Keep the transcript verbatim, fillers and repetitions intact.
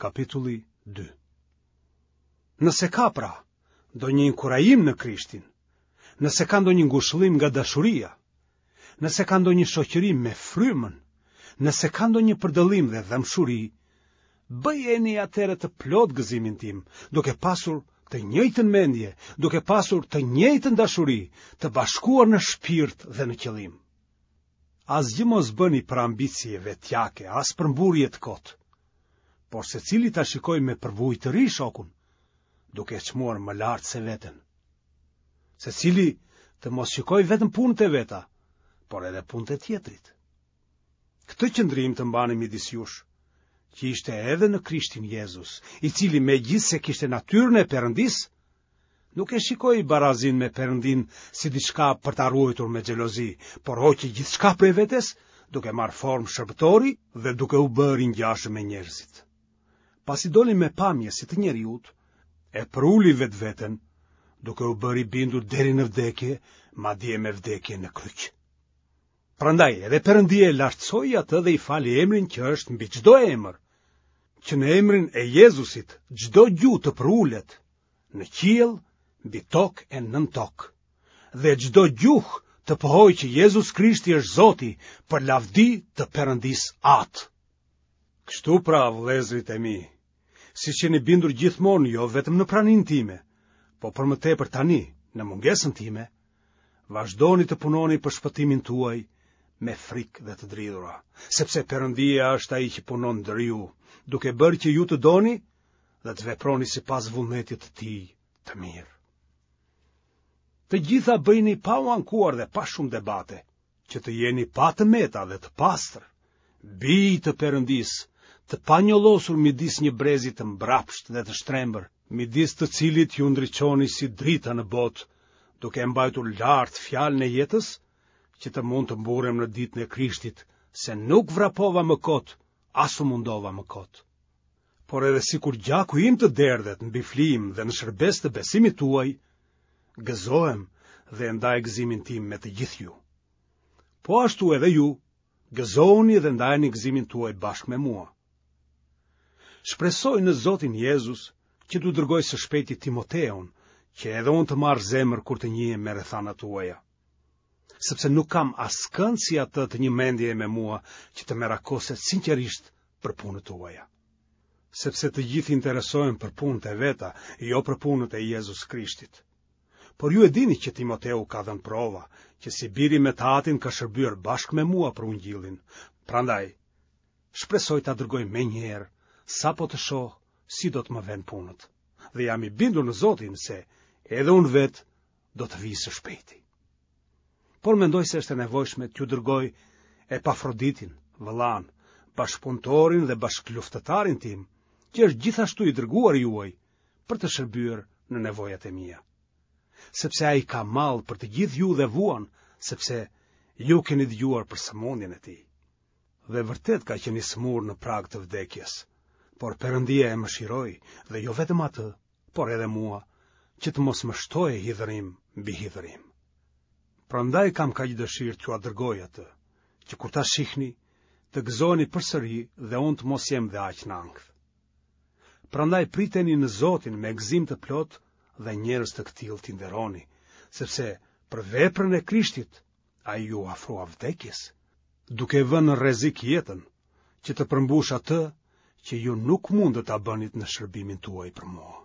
Kapitulli dy. Nëse ka pra ndonjë inkurajim në Krishtin, nëse ka ndonjë ngushëllim nga dashuria, nëse ka ndonjë shoqërim me frymën, nëse ka ndonjë përdëllim dhe dhembshuri, bëjeni atëherë të plotë gëzimin tim, duke pasur të njëjtën mendje, duke pasur të njëjtën dashuri, të bashkuar në shpirt dhe në qëllim. Asgjë mos bëni për ambicie vetjake, as për mburrje të kotë, por secili ta shikojë me përvojë të ri shokun, duke e çmuar më lart se veten. Secili të mos shikojë vetëm punët e veta, por edhe punët e tjetrit. Këtë qëndrim të mbani midis jush, që ishte edhe në Krishtin Jezus, i cili megjithëse kishte natyrën e Perëndisë, nuk e shikoi barazinë me Perëndinë si diçka për ta ruajtur me xhelozi, por hoqi gjithçka prej vetes, duke marrë formë shërbëtori dhe duke u bërë i ngjashëm me njerëzit. Pasi doli me pamje si të njeriut, e përuli vetveten, duke u bërë i bindur deri në vdekje, madje me vdekje në kryq. Prandaj edhe Perëndia e lartësoi atë dhe i fali emrin që është mbi çdo emër, që në emrin e Jezusit çdo gjuhë të përulet në qiell, mbi tokë e nën tokë, dhe çdo gjuhë të pohojë që Jezus Krishti është Zoti për lavdi të Perëndisë Atë. Kështu pra, vëllezërit e mi, siç jeni bindur gjithmonë jo vetëm në praninë time, po për më tepër tani, në mungesën time, vazhdoni të punoni për shpëtimin tuaj me frikë dhe të dridhura, sepse Perëndia është ai që punon ndër ju, duke bërë që ju të doni dhe të veproni sipas vullnetit të tij të mirë. Të gjitha bëjini pa u ankuar dhe pa shumë debate, që të jeni pa të meta dhe të pastër, bij të Perëndisë, të panjollosur midis një brezi të mbrapshtë dhe të shtrembër, midis të cilit ju ndriçoni si drita në botë, duke e mbajtur lart fjalën e jetës, që të mund të mburrem në ditën e Krishtit, se nuk vrapova më kot, as u mundova më kot. Por edhe sikur gjaku im të derdhet mbi flijim dhe në shërbesë të besimit tuaj, gëzohem dhe e ndaj gëzimin tim me të gjithë ju. Po ashtu edhe ju, gëzohuni dhe ndajeni gëzimin tuaj bashkë me mua. Shpresoj në Zotin Jezus që t'ju dërgoj së shpejti Timoteun, që edhe unë të marr zemër kur të njihem me rrethanat tuaja. Sepse nuk kam askënd si atë të një mendjeje me mua që të merakoset sinqerisht për punët tuaja. Sepse të gjithë interesohen për punët e veta, jo për punët e Jezus Krishtit. Por ju e dini që Timoteu ka dhënë prova, që si biri me të atin ka shërbyer bashkë me mua për ungjillin. Prandaj, shpresoj ta dërgoj menjëherë, sapo të shoh si do të më venë punët. Dhe jam i bindur në Zotin se edhe unë vetë do të vij së shpejti. Por mendoj se është e nevojshme t'ju dërgoj Epafroditin, vëllanë, bashkëpunëtorin dhe bashkëluftëtarin tim, që është gjithashtu i dërguar juaj për të shërbyer në nevojat e mia. Sepse ai ka mall për të gjithë ju dhe vuan, sepse ju keni dëgjuar për sëmundjen e tij. Dhe vërtet ka qenë i sëmurë në prag të vdekjes, por Perëndia e mëshiroi dhe jo vetëm atë, por edhe mua, që të mos më shtohej hidhërim mbi hidhërim. Prandaj kam kaq dëshirë t'jua dërgoj atë, që kur ta shihni, të gëzoheni përsëri dhe unë të mos jem dhe aq në ankth. Prandaj priteni në Zotin me gëzim të plotë dhe njerëz të këtillë t'i nderoni, sepse për veprën e Krishtit ai iu afrua vdekjes, duke vënë në rrezik jetën, që të përmbushë atë që ju nuk mundët ta bënit në shërbimin tuaj për mua.